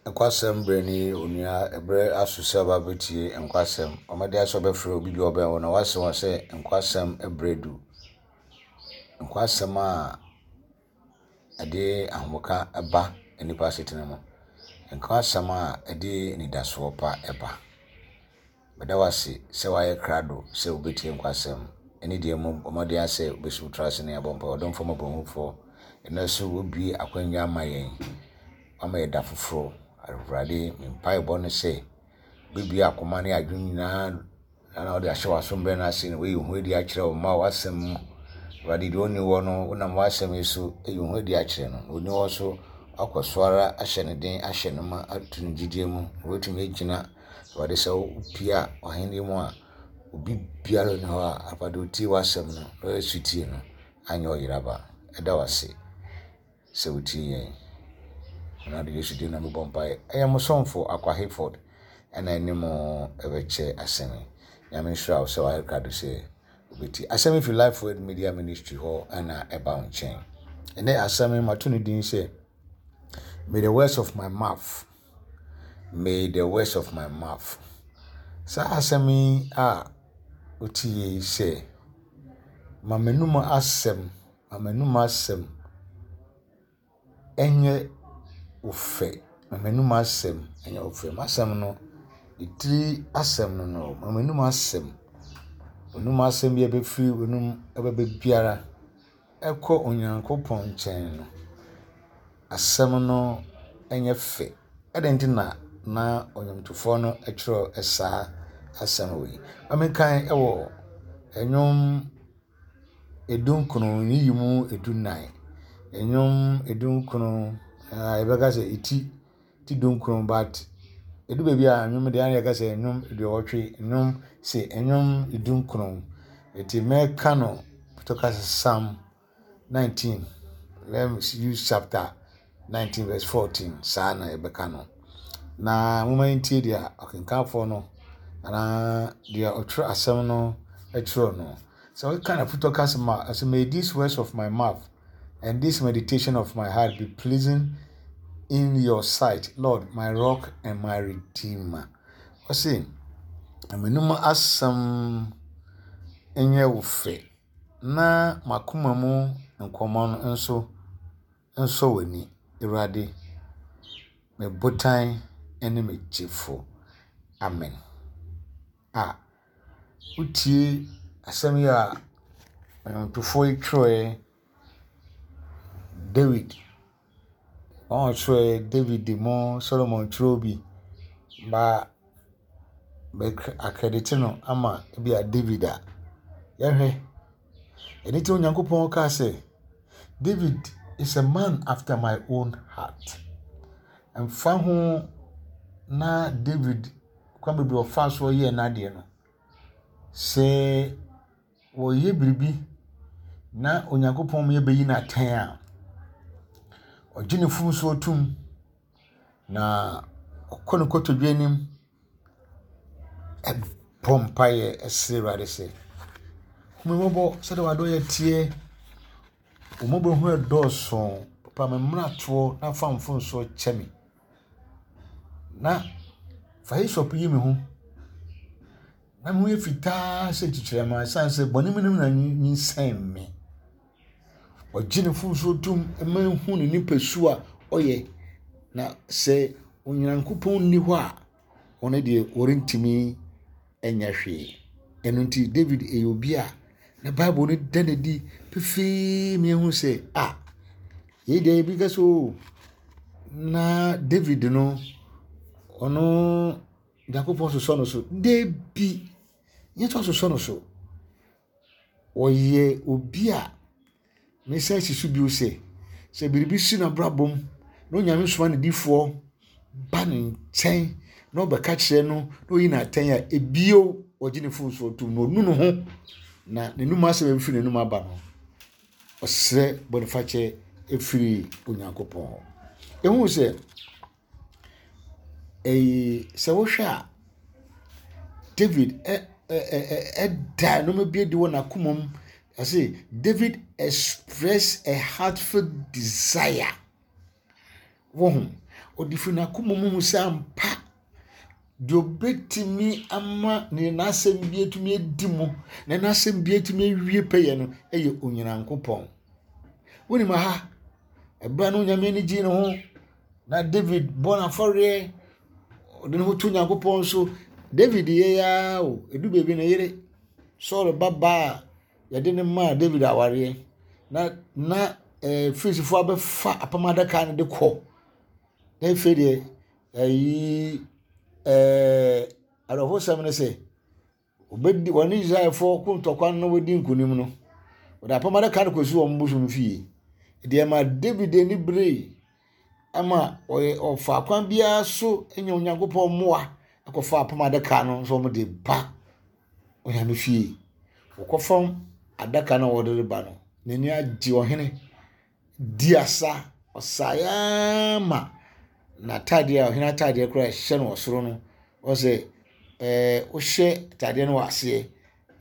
Nkwasɛm berɛ ni onua, ɛberɛ aso sɛ ɔba bɛtie nkwasɛm. Ɔmɛde asɛ ɔbɛfrɛ obi bi ɔbɛn wo na wase wɔn sɛ nkwasɛm berɛ du. Nkwasɛm a ɛde ahomeka ba nnipa asetena mu. Nkwasɛm a ɛde anidasoɔ pa ba. Meda wo ase sɛ woayɛ krado sɛ wobɛtie nkwasɛm. Ɛne deɛ mu bɔ mmɔden ara sɛ wobɛsi wo tiri ase na yɛabɔ mpaeɛ. Ɔdomfoɔ mmɔborɔhunufoɔ, ɛnnɛ nso woabue akwanya ama yɛn. Woama yɛn da foforɔ. Awurade, me mpaebɔ ne sɛ wobɛbue akoma ne adwene nyinaa na wode ahyɛ w'asom berɛ no ase na woayi wo ho adi akyerɛ wo mma w'asɛm mu. Awurade, deɛ ɔnni hɔ no, wonam w'asɛm yi so ayi wo ho adi akyerɛ no. Na ɔnni hɔ nso, woakɔ so ara ahyɛ no den, ahyɛ no ma ato no gyidie mu, na watumi agyina Awurade, sɛ wopue a w'ahenni mu a, obi biara nni hɔ a Awurade otie w'asɛm no na ɔyɛ sotie no anyɛ ɔyeraba. Ɛda wo ase sɛ wotie yɛn. Awurade Yesu din na mebɔ mpaeɛ. Ɛyɛ mo somfo Akwa Hayford ɛna ɛne mo ɛbɛkyɛ asɛm yi. Nyame nhyira wo sɛ wayɛ krado sɛ wobɛtie. Asɛm yi firi Life Word Media Ministry hɔ ɛna ɛba wo nkyɛn. Ɛnɛ asɛm yi mato ne din sɛ May the words of my mouth May the words of my mouth. Saa asɛm yi a wote yi sɛ, ma m'anum asɛm, ma m'anum asɛm nyɛ wo fɛ. Ma m'anum asɛm nyɛ wo fɛ. M'asɛm no, ne tiri asɛm no no, ma m'anum asɛm, w'anum asɛm bi a ɛbɛfiri w'anum ɛbɛba biara. kɔ Onyankopɔn nkyɛn no, asɛm no nyɛ fɛ. Adɛn nti na na ɔnwomtofoɔ no twerɛ saa asɛm wei? Ma menkan wɔ Nnwom edunkron, nyiyimu edunan. Nnwom edunkron, yɛbɛka sɛ eti ti dunkron but ɛdu baabi a nnwom deɛ ana yɛka sɛ nnwom aduɔwɔtwe, nnwom se nnwom dunkron. Nti mɛka no to ka sɛ Psalm 19, let me use chapter 19 verse 14, saa na yɛbɛka no. Na momma yɛntie deɛ ɔkenkanfoɔ no anaa deɛ ɔtwerɛ asɛm no twerɛ no. Sɛ woka no afutɔ kasa mu a, ɔsɛ may these words of my mouth and this meditation of my heart be pleasing in your sight, Lord, my rock and my redeemer. Ɔse, m'anom asɛm nyɛ wo fɛ, na m'akoma mu nkɔmmɔ no nso nsɔ w'ani, Awurade, me botan ne me gyefo. Amen. A Wotie asɛm yi a nnwontofoɔ yi twerɛeɛ, Dawid, wɔn a wɔtwerɛeɛ Dawid mu, Solomon twerɛɛ bi, ba bɛ akredite no ama ebia David a, yɛhwɛ. Ɛno nti Onyankopɔn kaa sɛ, David is a man after my own heart. Ɛmfa ho na David kwan bebree a ɔfaa so yɛɛ n'adeɛ no, sɛ wɔyɛ biribi na Onyankopɔn ma yɛbɛyi no atɛn a, ɔgye ne mfomsoɔ tom, na ɔkɔ ne kotodwe anim bɔ mpaeɛ srɛ Awurade sɛ, hu me mmɔbɔ sɛdeɛ w'adɔeɛ teɛ, wo mmɔborɔhunu dɔɔso, pepa me mmaratoɔ na fa me mfomsoɔ kyɛ me. Na fa hyssop yi me ho, na me ho yɛ fitaa sɛ kyikyirɛma ɛsiane sɛ bɔne mu na nyinsɛn me. Ɔgye ne mfomsoɔ tom ma ehu ne nipasu a ɔyɛ, na sɛ Onyankopɔn nni hɔ a, ɔno deɛ ɔrentumi nyɛ hwee. Ɛno nti David yɛ obi a na Bible no da no adi pefee ma yɛhu sɛ a yei deɛ ebi ka sɛ o na David no ɔno Nyankopɔn sosɔ no so. Dabi, nyɛ sɛ ɔsosɔ no so. Ɔyɛ obi a mesan si so bio sɛ, sɛ biribi si n'abrabɔ mu na Onyame soma ne difoɔ ba ne nkyɛn na ɔbɛka kyerɛ no na oyi no atɛn a, ebio ɔgye ne mfomsoɔ tom na ɔnu ne ho na n'anum asɛm a ɛbɛfiri n'anum aba no, ɔsrɛ bɔnefakyɛ ɛfiri Onyankopɔn hɔ. Ɛhu sɛ Eyi, sɛ wohwɛ a, David ɛ ɛ ɛ ɛda nneɛma bi adi wɔ n'akoma mu. Ɔse David express a heartfelt desire. Wohu? Ɔde firi n'akoma mu hu sɛ ampa deɛ ɔbɛtumi ama ne n'asɛm bi atumi adi mu na n'asɛm bi atumi awie pɛyɛ no yɛ Onyankopɔn. Wonim aha, ɛberɛ no Onyame ani gyee ne ho na David bɔ n'afɔreɛ, ɔde ne ho to Onyankopɔn so. David yɛ ya o, ɛdu baabi ne yere Saul ba baa a yɛde no maa David awareɛ na na ɛɛ eh, Filistifoɔ abɛfa apam adaka no de kɔ. Na afei deɛ ɛyi ɛɛ eh, awerɛhosɛm ne sɛ wɔbɛdi wɔne Israelfoɔ ko ntɔkwa no na wɔdi nkonim no, wɔde apam adaka no kɔsi wɔn bosom fie. Deɛ ma David ani beree ama ɔyɛ ɔfa kwan biara so nya Onyankopɔn mmoa akɔfa apam adaka no nso wɔde ba Onyame fie. Wɔkɔfam adaka no a wɔde reba no, n'ani agye ɔhene di asa. Ɔsaeɛ ara ma n'atadeɛ a ɔhene atadeɛ koraa a ɛhyɛ no wɔ soro no, ɔsɛ ɛɛ wohyɛ atadeɛ no wɔ aseɛ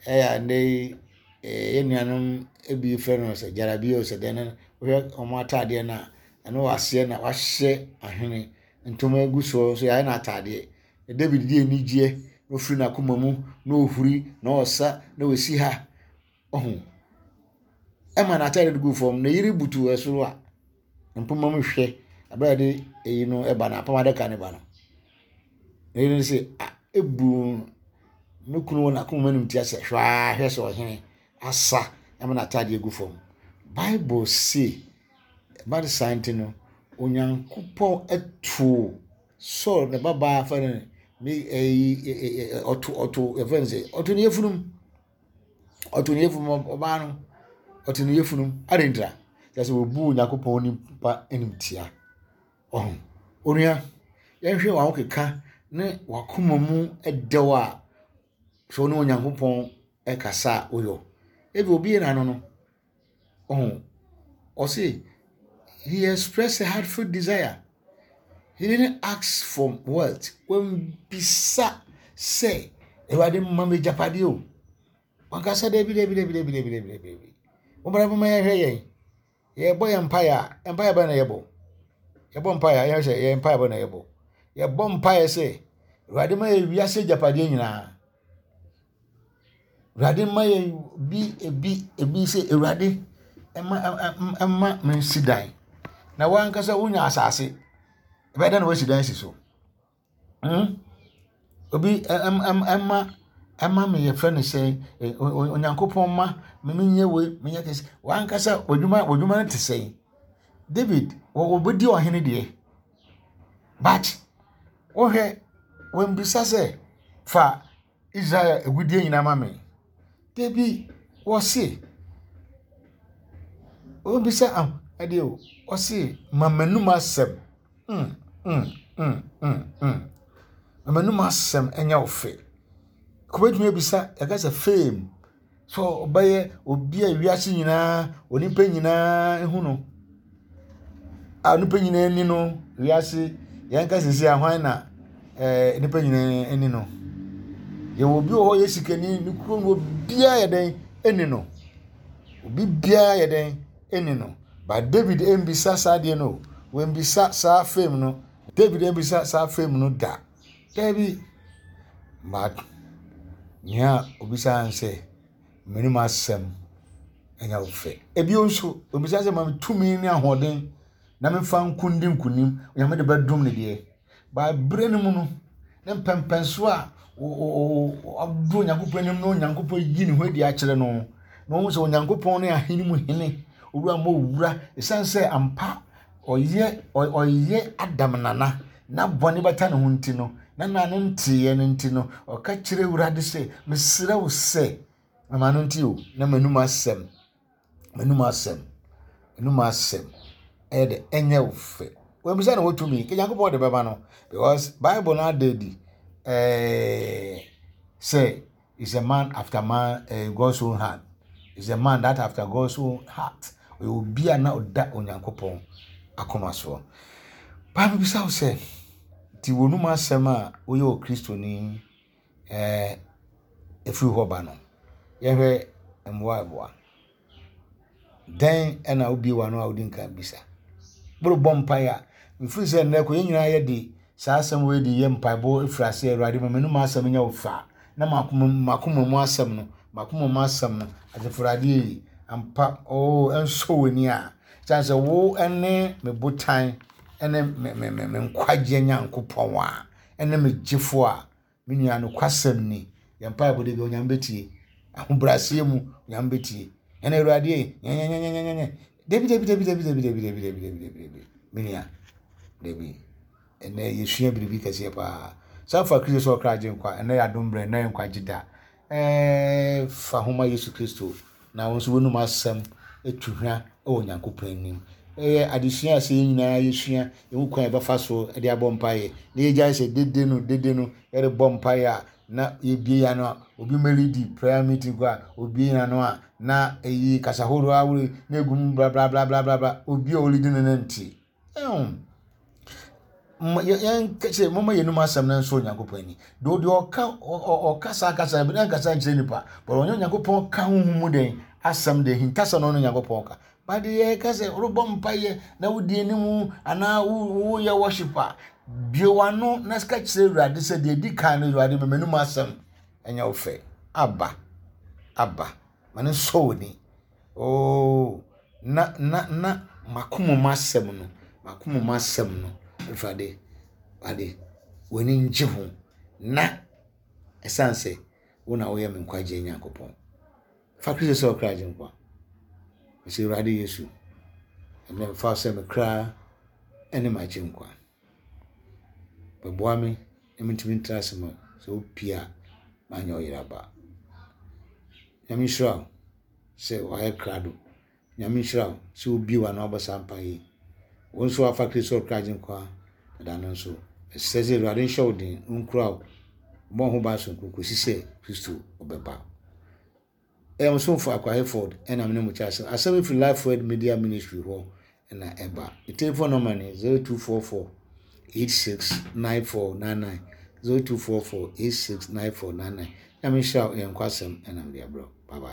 ɛyɛ a nnɛ yi ɛɛ yɛn nuanom bi frɛ no sɛ gyarabie o sɛ dɛn no wohwɛ wɔn atadeɛ no a ɛno wɔ aseɛ na wahyɛ ahene ntoma agu soɔ nso yɛayɛ no atadeɛ. Na David di anigyeɛ na ɔfiri n'akoma mu na ɔhuri na ɔsa na ɔsi ha. Ɔho. Ɛma n'atade no gu fam. Ne yere butu ɛsoro a mpoma mu hwɛ abere a yɛde eyi no ɛba no apam adaka no ba no. Ne yere no sɛ a ebu ne kunu wɔ n'akoma mu anim tia sɛ hwɛ ara hwɛ sɛ ɔhene asa ɛma n'atade gu fam. Bible se ɛba no saa nti no Onyankopɔn too Saul ne babaa fɛ no ne ɛyi ɔto ɔto yɛfrɛ no sɛ ɔto ne yafunum. Ɔto ne yafunu ɔbaa no ɔto ne yafunu adɛn ntira kyerɛ sɛ wɔbu Onyankopɔn nipa animtia. Ɔho onua yɛnhwɛ wɔn ahokeka ne wakoma mu dɛw a sɛ wo ne Onyankopɔn ɛkasa a woyɔ. Ebi obi yɛ n'ano no ɔho ɔse he expressed a heartfelt desire. He didn't ask for wealth. Wambisa sɛ Awurade mma me agyapadeɛ o. Wankasa dabi dabi dabi dabi dabi dabi dabi dabi. Mommra momma yɛnhwɛ yɛn. Yɛbɔ yɛn mpaeɛ a, mpaeɛ bɛn na yɛbɔ? Yɛbɔ mpaeɛ a, yɛhwɛ sɛ yɛn mpaeɛ bɛn na yɛbɔ. Yɛbɔ mpaeɛ sɛ Awurade ma yɛ wiase agyapadeɛ nyinaa. Awurade mma yɛn bi ebi ebi sɛ Awurade mma mma mensi dan. Na w'ankasa wonya asase, ɛbɛyɛ dɛn na woasi dan asi so? Hmm? Obi mma ɛma me yɛfrɛ no sɛ Onyankopɔn mma me menyɛ wei menyɛ kɛse. W'ankasa w'adwuma w'adwuma no te sɛn? David wɔbɛdi ɔhene deɛ but wohwɛ wɔmmisa sɛ fa Israel agudeɛ nyinaa ma me. Dabi, wɔse, wɔbisa ah, ɛdeɛ o, wɔse ma m'anum asɛm. Mm, mm, mm, mm, mm. Ma m'anum asɛm ɛnyɛ wo fɛ. Kɔbɛtumi abisa, yɛka sɛ fame. Sɛ ɔbɛyɛ obi a wiase nyinaa, onipa nyinaa hu no, a onipa nyinaa ni no, wiase yɛn ka sisi a hwan na ɛɛ nipa nyinaa ni no. Yɛwɔ obi wɔ hɔ yɛ sikani, ne kurom no obiara yɛ dɛn ɛni no. Obi biara yɛ dɛn ɛni no. But David ɛmbisa saa adeɛ no, wɔmbisa saa fame no. David ɛmbisa saa fame no da. Dabi, but nea obisaa ne sɛ, m'anom asɛm nyɛ wo fɛ. Ebio nso, obisa sɛ ma me tumi ne ahoɔden na memfa nko ndi nkonim, Onyame de bɛdom ne deɛ. Ba berɛ no mu no, ne mpɛmpɛnso a ɔdɔ Onyankopɔn anim na Onyankopɔn yi ne ho adi akyerɛ no, na ɔhu sɛ Onyankopɔn ne ahene mu hene, owura mu owura, ɛsiane sɛ ampa ɔyɛ ɔyɛ Adam nana na bɔne bata ne ho nti no, na na ne nteeɛ no nti no, ɔka kyerɛ Awurade sɛ, mesrɛ wo sɛ, mama no nti o, na m'anum asɛm, m'anum asɛm, m'anum asɛm ɛyɛ dɛ ɛnyɛ wo fɛ. Wɔammisa no hɔ tumi, nka Nyankopɔn de bɛma no because Bible no ada adi ɛɛ sɛ Is a man after man eh, God's own heart. Is a man that after God's own heart. Ɔyɛ obi a na ɔda Onyankopɔn akoma soɔ. Bible bisa wo sɛ, nti wɔnum asɛm a woyɛ Okristoni eh, ɛfiri hɔ ba no, yɛhwɛ mmoa ɛboa. Dɛn na wobue w'ano a wodi nkan bisa? Worebɔ mpae a, Mefiri sɛ nnɛ kɔ yɛn nyinaa yɛde saa asɛm wei de yɛ mpaebɔ firi aseɛ, Awurade ma m'anom asɛm nyɛ wo fɛ a, na m'akoma mu asɛm no, m'akoma mu asɛm no, Asafo Awurade ei, ampa, oo, ɛnsɔ w'ani a, ɛsiane sɛ wo ne me botan ne me, me, me, me nkwagyeɛ Nyankopɔn a, ɛne me gyefoɔ a, Me nua, nokwasɛm ni, yɛn mpaebɔ da bi Onyame bɛtie. Ahobrɛaseɛ mu, Onyame bɛtie. Ɛna Awurade ei, nyɛnyɛnyɛnyɛnyɛnyɛ. Dabi, dabi, dabi, dabi, dabi, dabi, dabi, dabi, dabi, dabi, dabi. Me nua, dabi. Ɛnɛ yɛsua biribi kɛseɛ paa. San fa Kristo sɛ ɔkra agye nkwa. Ɛnɛ yɛ adom berɛ, ɛnɛ yɛ nkwagye da. Ɛɛ fa ho ma Yesu Kristo na wo nso w'anum asɛm tu hwa wɔ Onyankopɔn anim. Ɛyɛ adesua a sɛ yɛn nyinaa yɛsua yɛhu kwan a yɛbɛfa so de abɔ mpaeɛ na yɛgyae sɛ dede no dede no yɛrebɔ mpaeɛ a na yɛbie yɛn ano a obi mɛlidi prayer meeting kɔ a obie yɛn ano a na ɛyi kasa horoɔ ahoroɔ na egu mu bla bla bla bla bla obi a ɔlidi no no nti. Yɛn momma yɛnum asɛm no nso Onyankopɔn ani. Deɛ deɛ ɔka ɔka saa kasa bi na nkasa nkyerɛ nipa. But ɔnyɛ Onyankopɔn ka honhom mu den asɛm deɛ hintasɛm na ɔne Onyankopɔn ka. But deɛ yɛka sɛ worebɔ mpaeɛ na wodi anim anaa woyɛ worship a, bue w'ano na ka kyerɛ Awurade sɛ deɛ ɛdi kan no Awurade ma m'anum asɛm ɛnyɛ wo fɛ. Aba, aba, ma no nsɔ w'ani. Oh, na, na, na m'akoma mu asɛm no, m'akoma mu asɛm no, Awurade, Awurade, w'ani ngye ho, na ɛsiane sɛ wo na woyɛ me nkwagyeɛ Nyankopɔn. Fa Kristo sɛ ɔkra agyenkwa. Mese Awurade Yesu, ɛnɛ mfa wo sɛ me kra ne m'agyenkwa. Bɛboa me na mentumi ntra ase ma sɛ wopie a manyɛ ɔyeraba. Nyame nhyira wo sɛ wayɛ krado. Nyame nhyira wo sɛ wobie w'ano abɔ saa mpaeɛ yi. Wo nso wafa Kristo ɔkra agyenkwa dada no nso. Ɛsɛ sɛ Awurade nhyɛ wo den, ɔnkura wo, ɔmmɔ wo ho ban sononko kɔsi sɛ Kristo ɔbɛba. Ɛyɛ mo somfo Akwa Hayford ɛna me ne mo kyɛ asɛm. Asɛm yi firi Life Word Media Ministry hɔ na ɛba. Me telephone number ne 0244 869499 0244 869499. Nyame nhyira wo, yɛn nkɔ asɛm ɛna mede abrɛ wo. Bye bye.